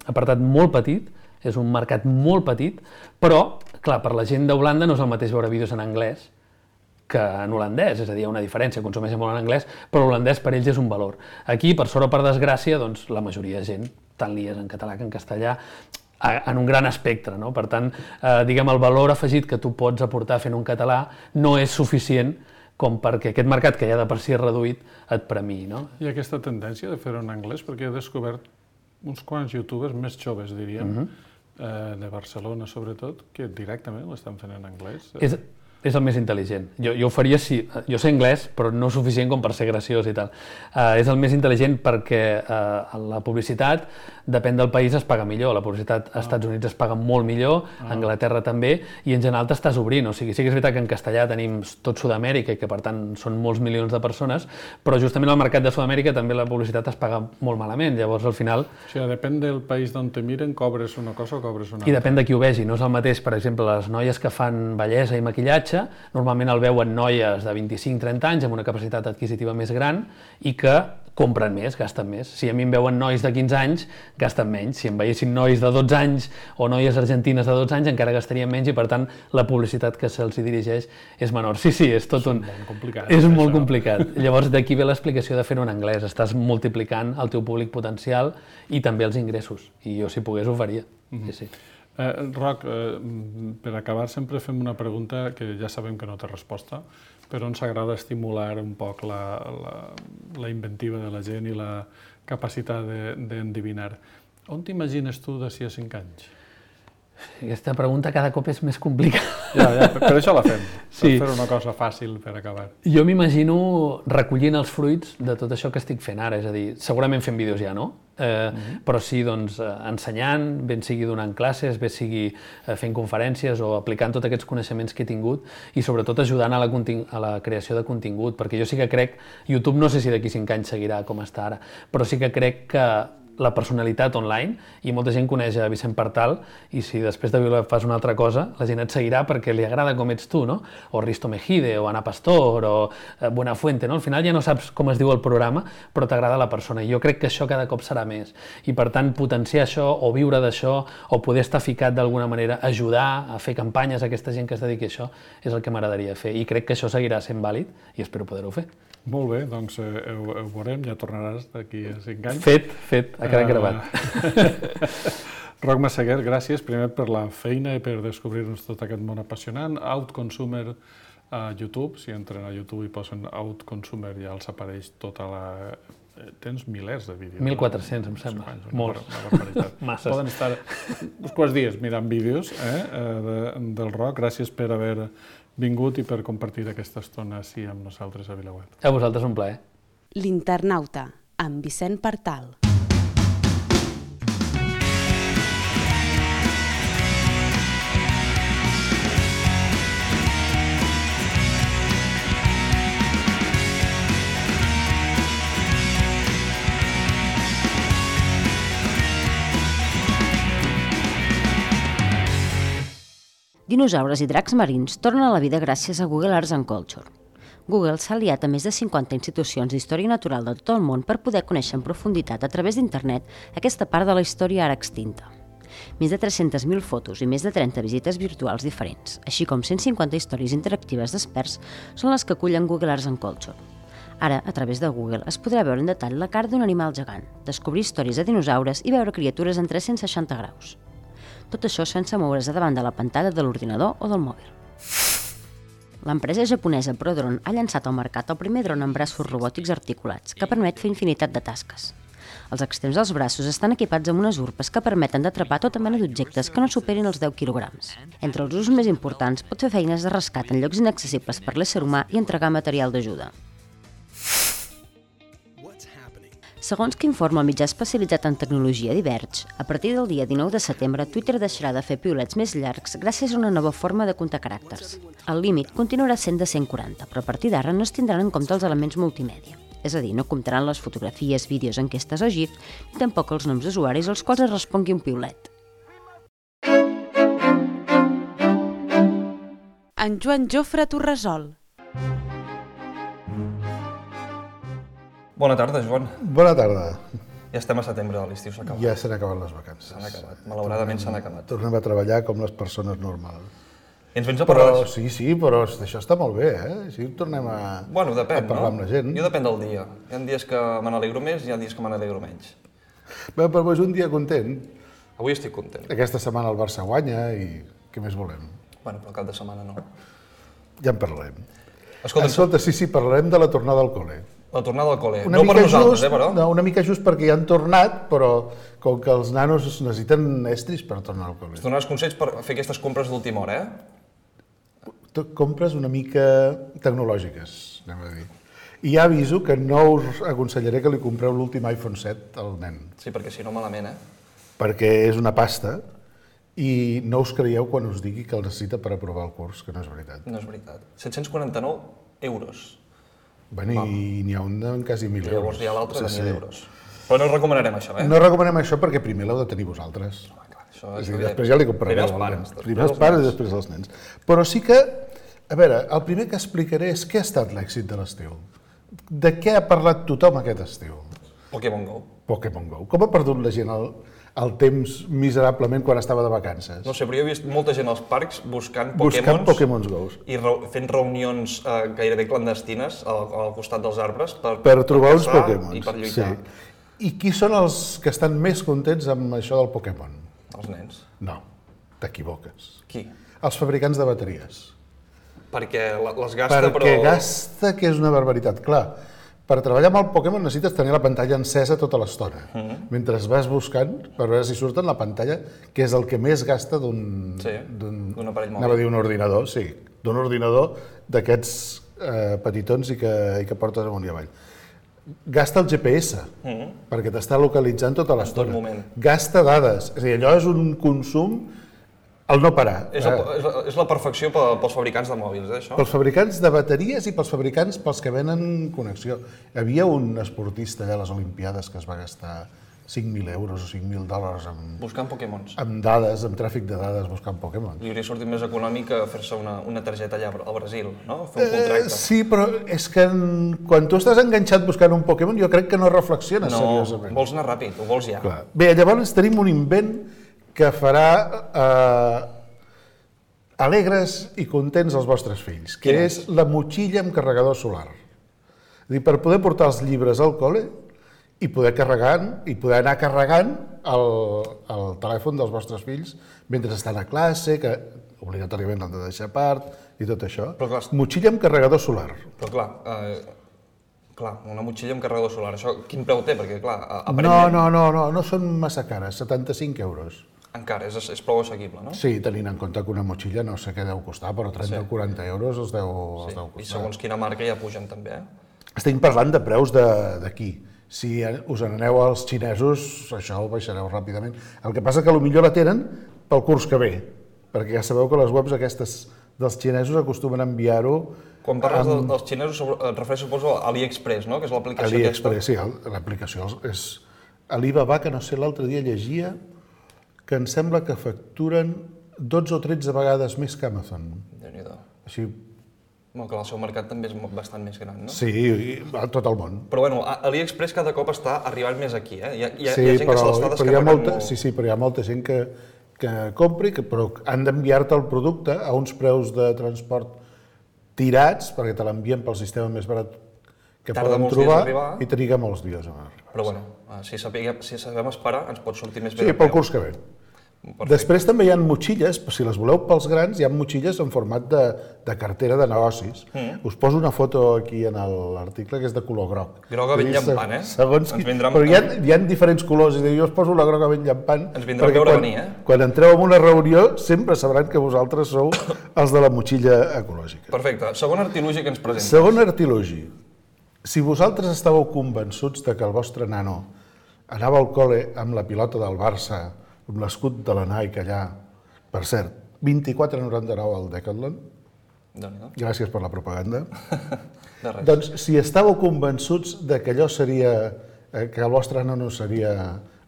apartat molt petit, és un mercat molt petit, però, clar, per la gent d'Holanda no és el mateix veure vídeos en anglès que en holandès, és a dir, hi ha una diferència, consumeixen molt en anglès, però l'holandès per ells és un valor. Aquí, per sort o per desgràcia, doncs la majoria de gent tant li és en català que en castellà, en un gran espectre, no? Per tant, diguem, el valor afegit que tu pots aportar fent un català no és suficient com perquè aquest mercat, que ja de per si és reduït, et premiï, no? I aquesta tendència de fer-ho en anglès, perquè he descobert uns quants youtubers més joves, diríem, de Barcelona sobretot, que directament ho estan fent en anglès. És el més intel·ligent. Jo ho faria si... Jo sé anglès, però no suficient com per ser graciós i tal. És el més intel·ligent perquè la publicitat, depèn del país, es paga millor. La publicitat als Estats Units es paga molt millor, a Anglaterra també, i en general t'estàs obrint. O sigui, sí que és veritat que en castellà tenim tot Sud-amèrica i que, per tant, són molts milions de persones, però justament al mercat de Sud-amèrica també la publicitat es paga molt malament. Llavors, al final... O sigui, depèn del país d'on te miren, cobres una cosa o cobres una altra. I depèn de qui ho vegi. No és el mateix, per exemple, les noies que fan bellesa i maquillatge l'aprenentatge, normalment el veuen noies de 25-30 anys amb una capacitat adquisitiva més gran i que compren més, gasten més. Si a mi em veuen nois de 15 anys, gasten menys. Si em veiessin nois de 12 anys o noies argentines de 12 anys, encara gastarien menys i, per tant, la publicitat que se'ls dirigeix és menor. Sí, és tot un... És molt complicat. Llavors, d'aquí ve l'explicació de fer-ho en anglès. Estàs multiplicant el teu públic potencial i també els ingressos. I jo, si pogués, ho faria. Sí. Roc, per acabar sempre fem una pregunta que ja sabem que no té resposta, però ens agrada estimular un poc la inventiva de la gent i la capacitat d'endevinar. On t'imagines tu d'ací a 5 anys? Aquesta pregunta cada cop és més complicada. Ja, per això la fem, per fer una cosa fàcil per acabar. Jo m'imagino recollint els fruits de tot això que estic fent ara, és a dir, segurament fent vídeos ja no, però sí ensenyant, ben sigui donant classes, bé sigui fent conferències o aplicant tots aquests coneixements que he tingut i sobretot ajudant a la creació de contingut, perquè jo sí que crec, YouTube no sé si d'aquí 5 anys seguirà com està ara, però sí que crec que la personalitat online, i molta gent coneix a Vicent Partal, i si després de viure fas una altra cosa, la gent et seguirà perquè li agrada com ets tu, no? O Risto Mejide, o Ana Pastor, o Buenafuente, no? Al final ja no saps com es diu el programa, però t'agrada la persona, i jo crec que això cada cop serà més. I per tant, potenciar això, o viure d'això, o poder estar ficat d'alguna manera, ajudar a fer campanyes a aquesta gent que es dediqui a això, és el que m'agradaria fer, i crec que això seguirà sent vàlid, i espero poder-ho fer. Molt bé, doncs ho veurem, ja tornaràs d'aquí a 5 anys. Fet, ha quedat gravat. Roc Massaguer, gràcies primer per la feina i per descobrir-nos tot aquest món apassionant. Outconsumer a YouTube, si entren a YouTube i posen Outconsumer ja els apareix tota la... Tens milers de vídeos. 1.400, em sembla. Molts. Una barbaritat. Masses. Poden estar uns quants dies mirant vídeos del Roc. Gràcies per haver vingut i per compartir aquesta estona així amb nosaltres a VilaWeb. A vosaltres un plaer. L'Internauta, amb Vicent Partal. Dinosaures i dracs marins tornen a la vida gràcies a Google Arts and Culture. Google s'ha aliat a més de 50 institucions d'història natural de tot el món per poder conèixer en profunditat a través d'internet aquesta part de la història ara extinta. Més de 300.000 fotos i més de 30 visites virtuals diferents, així com 150 històries interactives d'experts, són les que acullen Google Arts and Culture. Ara, a través de Google, es podrà veure en detall la cara d'un animal gegant, descobrir històries de dinosaures i veure criatures en 360 graus. Tot això sense moure's davant de la pantalla de l'ordinador o del mòbil. L'empresa japonesa Prodron ha llançat al mercat el primer dron amb braços robòtics articulats, que permet fer infinitat de tasques. Els extrems dels braços estan equipats amb unes urpes que permeten d'atrapar tota mena d'objectes que no superin els 10 quilograms. Entre els usos més importants pot fer feines de rescat en llocs inaccessibles per l'ésser humà i entregar material d'ajuda. Segons que informa el mitjà especialitzat en tecnologia Diverge, a partir del dia 19 de setembre, Twitter deixarà de fer piulets més llargs gràcies a una nova forma de comptar caràcters. El límit continuarà sent de 140, però a partir d'ara no es tindran en compte els elements multimèdia. És a dir, no comptaran les fotografies, vídeos, enquestes o GIF, ni tampoc els noms d'usuaris als quals es respongui un piulet. En Joan Jofre Torresol. Bona tarda, Joan. Bona tarda. Ja estem a setembre, l'estiu s'ha acabat. Ja s'han acabat les vacances. S'han acabat, malauradament s'han acabat. Tornem a treballar com les persones normals. I ens vens a parlar... Però sí, però això està molt bé, eh? Així tornem a parlar amb la gent. Jo depèn del dia. Hi ha dies que me n'alegro més i hi ha dies que me n'alegro menys. Bé, però és un dia content. Avui estic content. Aquesta setmana el Barça guanya i què més volem? Bueno, però el cap de setmana no. Ja en parlarem. Escolta, sí, parlarem de la tornada al col·le. La tornada al col·le. No per nosaltres, però? No, una mica just perquè ja han tornat, però com que els nanos necessiten estris per tornar al col·le. Ens donaràs consells per fer aquestes compres d'última hora, Compres una mica tecnològiques, anem a dir. I ja aviso que no us aconsellaré que li compreu l'últim iPhone 7 al nen. Sí, perquè si no malament, Perquè és una pasta i no us creieu quan us digui que el necessita per aprovar el curs, que no és veritat. No és veritat. 749 euros. Bueno, i n'hi ha un de quasi 1.000 euros. Llavors hi ha l'altre de 1.000 euros. Però no recomanarem això, No recomanem això perquè primer l'heu de tenir vosaltres. Clar, això és a dir, després ja li comprareu. Primer els pares Primer els pares i després els nens. Però sí que A veure, el primer que explicaré és què ha estat l'èxit de l'estiu. De què ha parlat tothom aquest estiu? Pokémon Go. Pokémon Go. Com ha perdut la gent el temps miserablement quan estava de vacances? No sé, però jo he vist molta gent als parcs buscant Pokémon Go. I fent reunions gairebé clandestines al costat dels arbres per trobar uns caçar Pokémons. I per lluitar. Sí. I qui són els que estan més contents amb això del Pokémon? Els nens. No, t'equivoques. Qui? Els fabricants de bateries. Perquè les gasta, però... Perquè gasta, que és una barbaritat. Clar, per treballar amb el Pokémon necessites tenir la pantalla encesa tota l'estona. Mentre vas buscant, per veure si surt en la pantalla, que és el que més gasta d'un aparell mòbil. Anava a dir un ordinador, sí. D'un ordinador d'aquests petitons i que portes amunt i avall. Gasta el GPS, perquè t'està localitzant tota l'estona. En tot moment. Gasta dades. És a dir, allò és un consum al no parar. És la perfecció pels fabricants de mòbils, això? Pels fabricants de bateries i pels fabricants pels que venen connexió. Hi havia un esportista a les Olimpiades que es va gastar 5.000 euros o 5.000 dòlars buscant Pokémons. Amb dades, amb tràfic de dades, buscant Pokémons. Li hauria sortit més econòmic que fer-se una targeta allà al Brasil, no? Fer un contracte. Sí, però és que quan tu estàs enganxat buscant un Pokémon, jo crec que no reflexiones seriosament. No, vols anar ràpid, ho vols ja. Clar. Bé, llavors tenim un invent que farà alegres i contents els vostres fills, que és la motxilla amb carregador solar. És a dir, per poder portar els llibres al col·le i poder anar carregant el telèfon dels vostres fills mentre estan a classe, que obligatòriament l'han de deixar a part i tot això. Motxilla amb carregador solar. Però clar, una motxilla amb carregador solar, això quin preu té? Perquè clar, aparentment... No són massa cares, 75 euros. Encara, és prou assequible, no? Sí, tenint en compte que una motxilla no sé què deu costar, però 30 o 40 euros els deu costar. I segons quina marca ja pugen també, Estem parlant de preus d'aquí. Si us n'aneu als xinesos, això ho baixareu ràpidament. El que passa que potser la tenen pel curs que ve, perquè ja sabeu que les webs aquestes dels xinesos acostumen a enviar-ho... Quan parles dels xinesos et refereixes, suposo, a AliExpress, no? Que és l'aplicació aquesta. AliExpress, sí, l'aplicació és Alibaba, que no sé, l'altre dia llegia que em sembla que facturen 12 o 13 vegades més que Amazon. Déu-n'hi-do. Així... Bueno, que el seu mercat també és bastant més gran, no? Sí, a tot el món. Però bueno, AliExpress cada cop està arribant més aquí, Hi ha gent que se l'està descarregant. Sí, però hi ha molta gent que compri, però han d'enviar-te el producte a uns preus de transport tirats, perquè te l'envien pel sistema més barat que poden trobar i triga molts dies a arribar. Però bueno, si sabem esperar, ens pot sortir més bé. Sí, pel curs que ve. Perfecte. Després també hi ha motxilles, si les voleu pels grans, hi ha motxilles en format de cartera de negocis. Us poso una foto aquí en l'article que és de color groc. Groga ben llampant, Segons però hi ha diferents colors, i jo us poso la groga ben llampant. Ens vindrà a veure venir, Quan entreu en una reunió sempre sabran que vosaltres sou els de la motxilla ecològica. Perfecte. Segon artilugi que ens presentes. Segon artilugi. Si vosaltres estàveu convençuts de que el vostre nano anava al col·le amb la pilota del Barça, amb l'escut de la Nike allà, per cert, 24,99 al Decathlon. Gràcies per la propaganda. Doncs si estàveu convençuts de que allò seria, que el vostre nano seria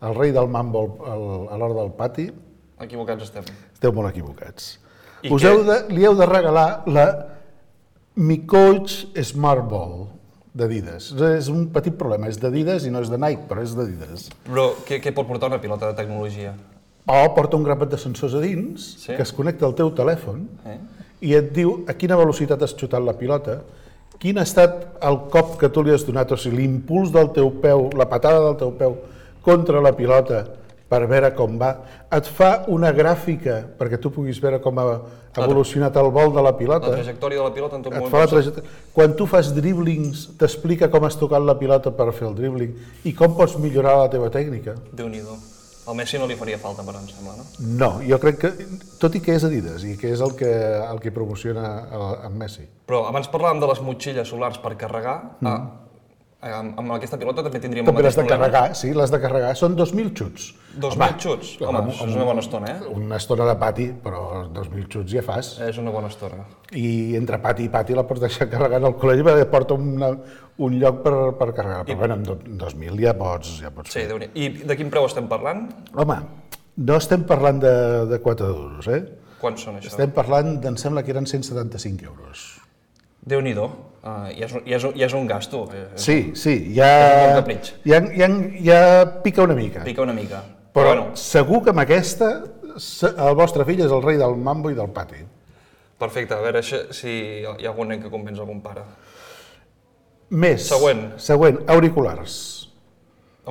el rei del mambo a l'hora del pati... Equivocats estem. Esteu molt equivocats. Li heu de regalar la Mi Coach Smart Ball d'Adidas. És un petit problema, és d'Adidas i no és de Nike, però és d'Adidas. Però què pot portar una pilota de tecnologia? Porta un grapat de sensors a dins, que es connecta al teu telèfon i et diu a quina velocitat has xutat la pilota, quin ha estat el cop que tu li has donat, o sigui, l'impuls del teu peu, la patada del teu peu contra la pilota per veure com va. Et fa una gràfica perquè tu puguis veure com ha evolucionat el vol de la pilota. La trajectòria de la pilota en tot moment. Quan tu fas driblings, t'explica com has tocat la pilota per fer el dribbling i com pots millorar la teva tècnica. Déu-n'hi-do. Al Messi no li faria falta, però em sembla, no? No, jo crec que, tot i que és Adidas i que és el que promociona en Messi. Però abans parlàvem de les motxilles solars per carregar. Amb aquesta pilota també tindríem el mateix problema. També les de carregar, són 2.000 xuts. 2.000 xuts? Home, és una bona estona, Una estona de pati, però 2.000 xuts ja fas. És una bona estona. I entre pati i pati la pots deixar carregant al col·legi perquè porta un lloc per carregar. Però bueno, amb 2.000 ja pots fer. Sí, i de quin preu estem parlant? Home, no estem parlant de 4 duros, Quants són, això? Estem parlant, em sembla que eren 175 euros. Déu-n'hi-do, ja és un gasto. Sí, És un capritx. ja pica una mica. Pica una mica. Però segur que amb aquesta el vostre fill és el rei del mambo i del pati. Perfecte, a veure si hi ha algun nen que convenç algun pare. Més. Següent, auriculars.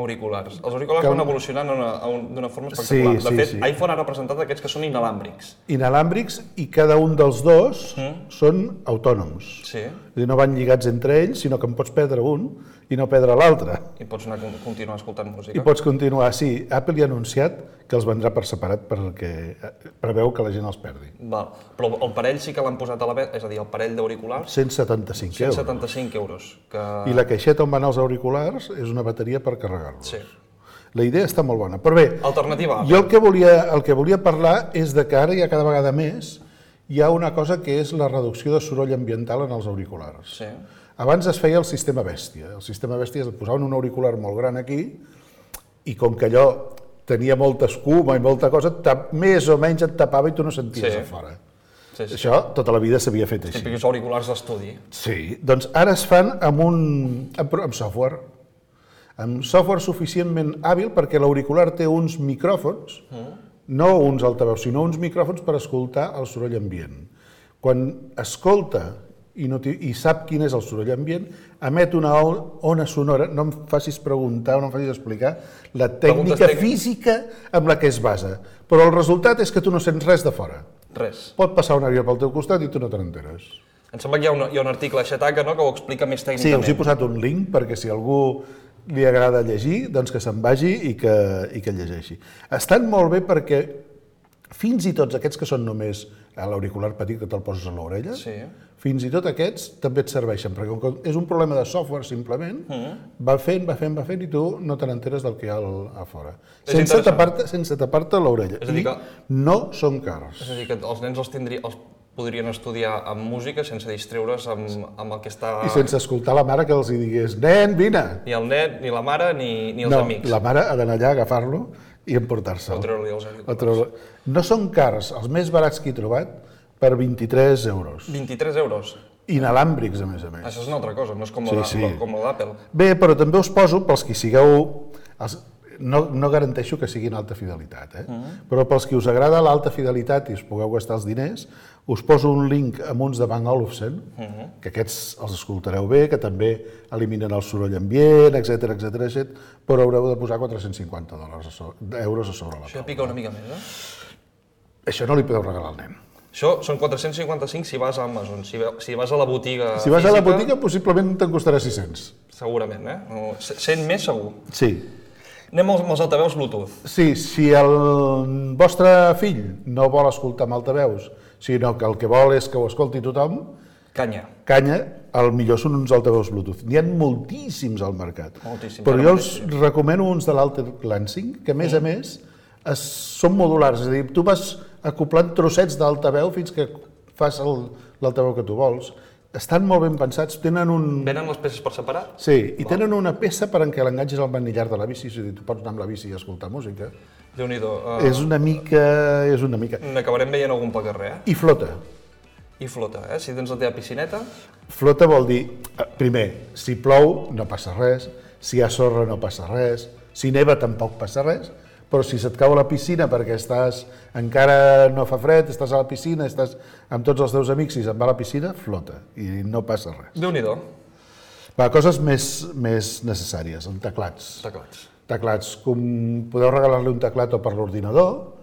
Auriculars. Els auriculars van evolucionant d'una forma espectacular. De fet, iPhone ha representat aquests que són inalàmbrics. Inalàmbrics i cada un dels dos són autònoms. Sí. No van lligats entre ells, sinó que en pots perdre un i no perdre l'altre. I pots continuar escoltant música. I pots continuar, sí. Apple ja ha anunciat que els vendrà per separat perquè preveu que la gent els perdi. Però el parell sí que l'han posat a la venda, és a dir, el parell d'auriculars... 175 euros. 175 euros. I la caixeta on van els auriculars és una bateria per carregar-los. Sí. La idea està molt bona. Però bé, alternativa. Jo el que volia parlar és de que ara ja cada vegada més hi ha una cosa que és la reducció de soroll ambiental en els auriculars. Sí. Abans es feia el sistema bèstia. El sistema bèstia es posaven un auricular molt gran aquí i com que allò tenia molta escuma i molta cosa, més o menys et tapava i tu no senties a fora. Això tota la vida s'havia fet així. Típics auriculars d'estudi. Sí, doncs ara es fan amb software. Amb software suficientment hàbil perquè l'auricular té uns micròfons, no uns altaveus, sinó uns micròfons per escoltar el soroll ambient. Quan escolta i sap quin és el soroll ambient, emet una ona sonora, no em facis preguntar o no em facis explicar la tècnica física amb la que es basa, però el resultat és que tu no sents res de fora. Res. Pot passar un avió pel teu costat i tu no te n'enteres. Em sembla que hi ha un article a Xataca que ho explica més tècnicament. Sí, us he posat un link perquè si algú li agrada llegir, doncs que se'n vagi i que llegeixi. Estan molt bé perquè fins i tot aquests que són només l'auricular petit que te'l poses a l'orella, fins i tot aquests també et serveixen, perquè com que és un problema de software simplement, va fent i tu no te n'enteres del que hi ha a fora. Sense tapar-te l'orella. I no són cars. És a dir, que els nens els podrien estudiar amb música sense distreure's amb el que està... I sense escoltar la mare que els digués, nen, vine! Ni el nen, ni la mare, ni els amics. No, la mare ha d'anar allà, agafar-lo i emportar-se'l. O treure-li els auriculars. No són cars, els més barats que he trobat, per 23 euros. 23 euros? Inalàmbrics, a més a més. Això és una altra cosa, no és com la d'Apple. Bé, però també us poso, pels que sigueu... No garanteixo que siguin alta fidelitat, però pels que us agrada l'alta fidelitat i us pugueu gastar els diners, us poso un link amb uns de Bang & Olufsen, que aquests els escoltareu bé, que també eliminen el soroll ambient, etc, però haureu de posar 450 euros a sobre la taula. Això pica una mica més, Això no li podeu regalar al nen. Això són 455 si vas a Amazon, si vas a la botiga física... Si vas a la botiga, possiblement te'n costarà 600. Segurament, 100 més segur. Sí. Anem als altaveus Bluetooth. Sí, si el vostre fill no vol escoltar amb altaveus, sinó que el que vol és que ho escolti tothom... Canya, el millor són uns altaveus Bluetooth. N'hi ha moltíssims al mercat. Moltíssims. Però jo us recomano uns de l'Alter Lansing, que a més són modulars, és a dir, tu vas acoplant trossets d'altaveu fins que fas l'altaveu que tu vols. Estan molt ben pensats, tenen un... Venen les peces per separat? Sí, i tenen una peça per en què l'enganxes al manillar de la bici, és a dir, tu pots anar amb la bici i escoltar música. Déu-n'hi-do. És una mica... N'acabarem veient algun pel carrer, I flota. I flota, Si tens la teva piscineta... Flota vol dir, primer, si plou no passa res, si hi ha sorra no passa res, si neva tampoc passa res, però si se't cau a la piscina perquè encara no fa fred, estàs a la piscina, estàs amb tots els teus amics i se'n va a la piscina, flota i no passa res. Déu-n'hi-do. Coses més necessàries, amb teclats. Teclats, com podeu regalar-li un teclat o per l'ordinador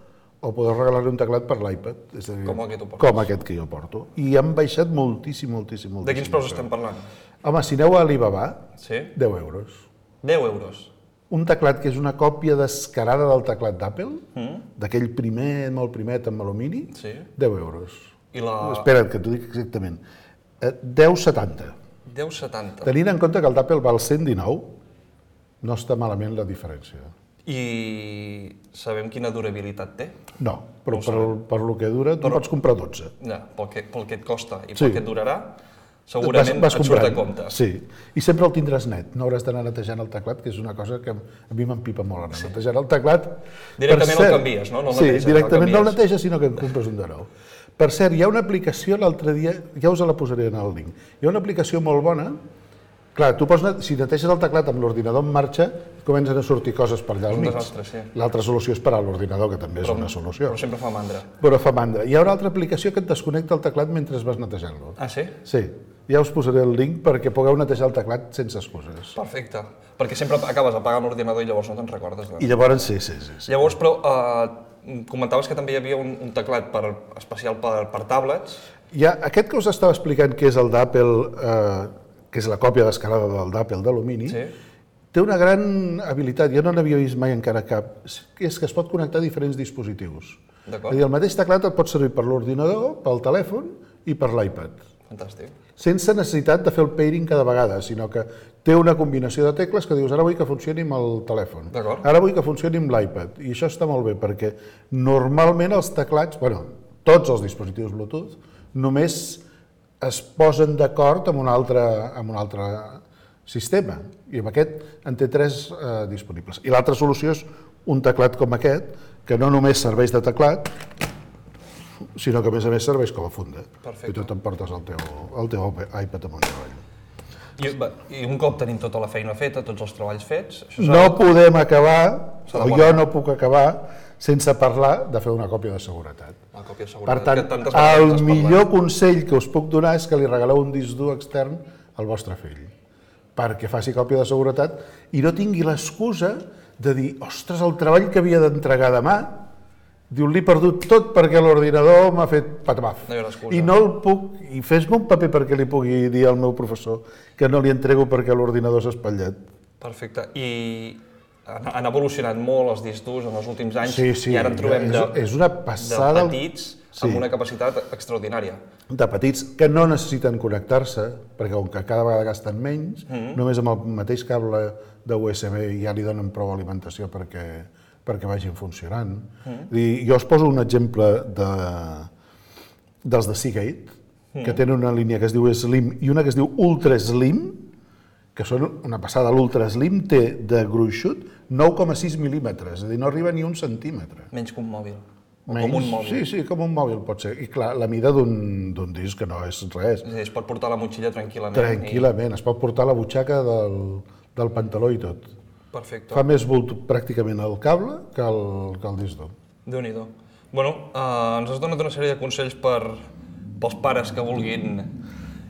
o podeu regalar-li un teclat per l'iPad. Com aquest que jo porto. I han baixat moltíssim. De quins preus estem parlant? Home, si aneu a Alibaba, 10 euros. 10 euros? Un teclat que és una còpia descarada del teclat d'Apple, d'aquell molt primet amb alumini, 10 euros. Espera't, que t'ho dic exactament. 10,70. 10,70. Tenint en compte que el d'Apple val 119, no està malament la diferència. I sabem quina durabilitat té? No, però per lo que dura, tu pots comprar 12. Pel que et costa i pel que et durarà, segurament et surt a compte. Sí, i sempre el tindràs net, no hauràs d'anar netejant el teclat, que és una cosa que a mi m'empipa molt, anar netejant el teclat. Directament el canvies, no? Sí, directament no el neteges, sinó que en compres un de nou. Per cert, hi ha una aplicació, l'altre dia, ja us la posaré en el link, hi ha una aplicació molt bona. Clar, tu si neteges el teclat amb l'ordinador en marxa, comencen a sortir coses per allà al mig. L'altra solució és parar l'ordinador, que també és una solució. Però sempre fa mandra. Però fa mandra. Hi ha una altra aplicació que et desconnecta el teclat mentre vas netejant-lo. Ah, sí? Sí. Ja us posaré el link perquè pugueu netejar el teclat sense excuses. Perfecte. Perquè sempre acabes apagant l'ordinador i llavors no te'n recordes. I llavors sí. Llavors, però, comentaves que també hi havia un teclat especial per tablets. Aquest que us estava explicant, que és el d'Apple, que és la còpia d'escalada del d'Apple d'alumini, té una gran habilitat, jo no n'havia vist mai encara cap, que és que es pot connectar a diferents dispositius. D'acord. És a dir, el mateix teclat et pot servir per l'ordinador, pel telèfon i per l'iPad. Fantàstic. Sense necessitat de fer el pairing cada vegada, sinó que té una combinació de tecles que dius ara vull que funcioni amb el telèfon, ara vull que funcioni amb l'iPad, i això està molt bé perquè normalment els teclats, tots els dispositius Bluetooth, només es posen d'acord amb un altre sistema, i amb aquest en té 3 disponibles. I l'altra solució és un teclat com aquest, que no només serveix de teclat, sinó que a més serveix com a funda. Perfecte. I tu t'emportes el teu iPad amunt i avall. I un cop tenim tota la feina feta, tots els treballs fets... No podem acabar, o jo no puc acabar, sense parlar de fer una còpia de seguretat. Per tant, el millor consell que us puc donar és que li regaleu un disc dur extern al vostre fill, perquè faci còpia de seguretat i no tingui l'excusa de dir, ostres, el treball que havia d'entregar demà, diu, l'he perdut tot perquè l'ordinador m'ha fet patabaf. I no el puc, i fes-me un paper perquè li pugui dir al meu professor que no li entrego perquè l'ordinador s'ha espatllat. Perfecte. I han evolucionat molt els discs durs en els últims anys i ara en trobem de petits amb una capacitat extraordinària. De petits que no necessiten connectar-se, perquè com que cada vegada gasten menys, només amb el mateix cable de USB ja li donen prou alimentació perquè vagin funcionant. Jo us poso un exemple dels de Seagate, que tenen una línia que es diu Slim i una que es diu Ultra Slim, que són una passada. L'Ultra Slim té de gruixut 9,6 mil·límetres, és a dir, no arriba ni un centímetre. Menys que un mòbil. O com un mòbil. Sí, com un mòbil pot ser. I clar, la mida d'un disc, que no és res. És a dir, es pot portar a la motxilla tranquil·lament. Tranquil·lament, es pot portar a la butxaca del pantaló i tot. Perfecte. Fa més volt pràcticament el cable que el disc dur. Déu-n'hi-do. Bueno, ens has donat una sèrie de consells pels pares que vulguin...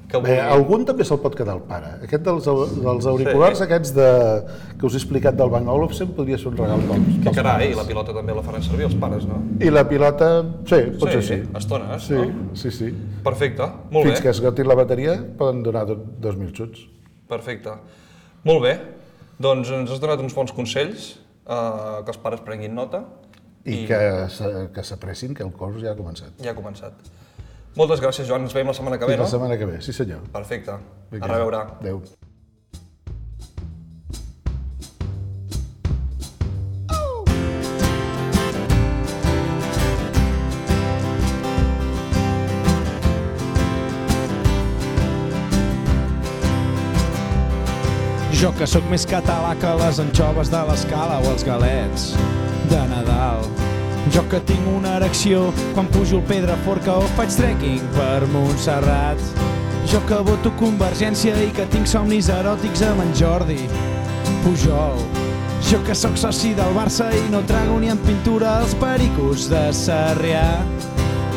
Algun també se'l pot quedar el pare. Aquest dels auriculars aquests que us he explicat del Bang Olufsen podria ser un regal pels pares. Carai, i la pilota també la faran servir els pares, no? I la pilota, sí, potser sí. Estones, no? Sí. Perfecte, molt bé. Fins que esgotin la bateria poden donar 2.000 xuts. Perfecte. Molt bé. Doncs ens has donat uns bons consells, que els pares prenguin nota. I que s'apressin que el curs ja ha començat. Ja ha començat. Moltes gràcies, Joan. Ens veiem la setmana que ve, no? La setmana que ve, sí senyor. Perfecte. A reveure. Adéu. Jo que sóc més català que les anxoves de l'Escala o els galets de Nadal. Jo que tinc una erecció quan pujo al Pedraforca o faig trekking per Montserrat. Jo que voto Convergència i que tinc somnis eròtics amb en Jordi Pujol. Jo que sóc soci del Barça i no trago ni en pintura els pericos de Sarrià.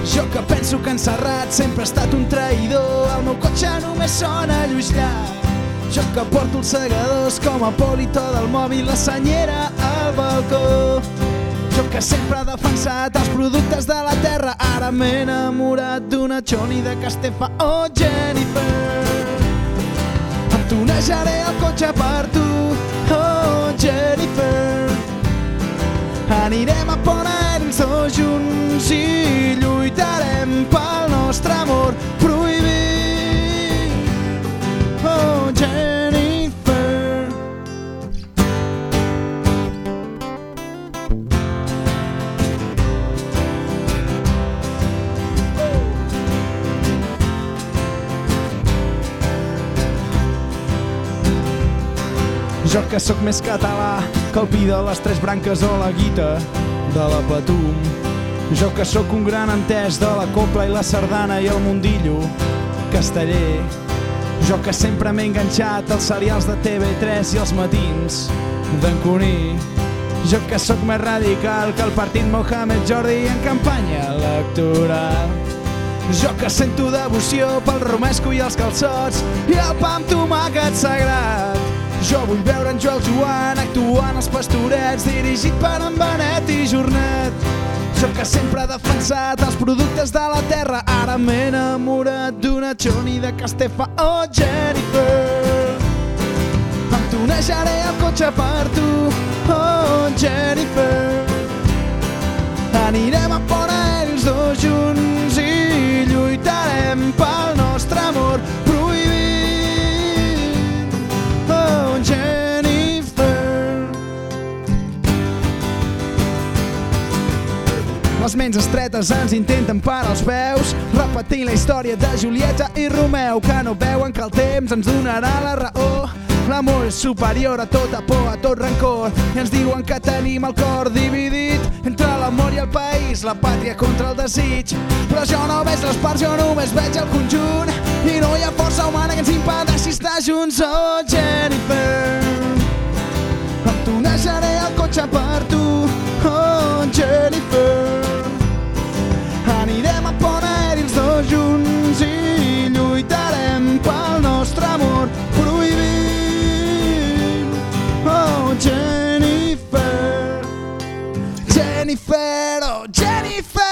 Jo que penso que en Serrat sempre ha estat un traïdor, el meu cotxe només sona Lluís Llach. Jo que porto els segadors com a polito del mòbil, la senyera al balcó. Jo que sempre he defensat els productes de la terra, ara m'he enamorat d'una Choni de Castefa o Jennifer. Em tunejaré el cotxe per tu, oh Jennifer. Anirem a Pont Aèrics tots junts i lluitarem pel nostre amor prohibit, oh Jennifer. Jo que sóc més català que el pi de les tres branques o la guita de la Patum. Jo que sóc un gran entès de la copla i la sardana i el mundillo casteller. Jo que sempre m'he enganxat als serials de TV3 i els matins d'en Cuní. Jo que sóc més radical que el partit Mohamed Jordi en campanya electoral. Jo que sento devoció pel romesco i els calçots i el pa amb tomàquet sagrat. Jo vull veure en Joel Joan actuant als Pastorets, dirigit per en Benet i Jornet. Jo que sempre he defensat els productes de la terra, ara m'he enamorat d'una Johnny de Castefa o Jennifer. Em tunejaré el cotxe per tu, oh Jennifer. Anirem a fora ells dos junts i lluitarem pel nostre amor prohibit, oh Jennifer. Les ments estretes ens intenten parar els peus, repetint la història de Julieta i Romeu, que no veuen que el temps ens donarà la raó. L'amor és superior a tota por, a tot rancor, i ens diuen que tenim el cor dividit entre l'amor i el país, la pàtria contra el desig. Però jo no veig les parts, jo només veig el conjunt, i no hi ha força humana que ens impedeixi estar junts, oh Jennifer. Em tunejaré el cotxe per tu, oh Jennifer. Anirem a Ponent els dos junts i lluitarem pel nostre amor prohibit, oh Jennifer. Jennifer, oh Jennifer.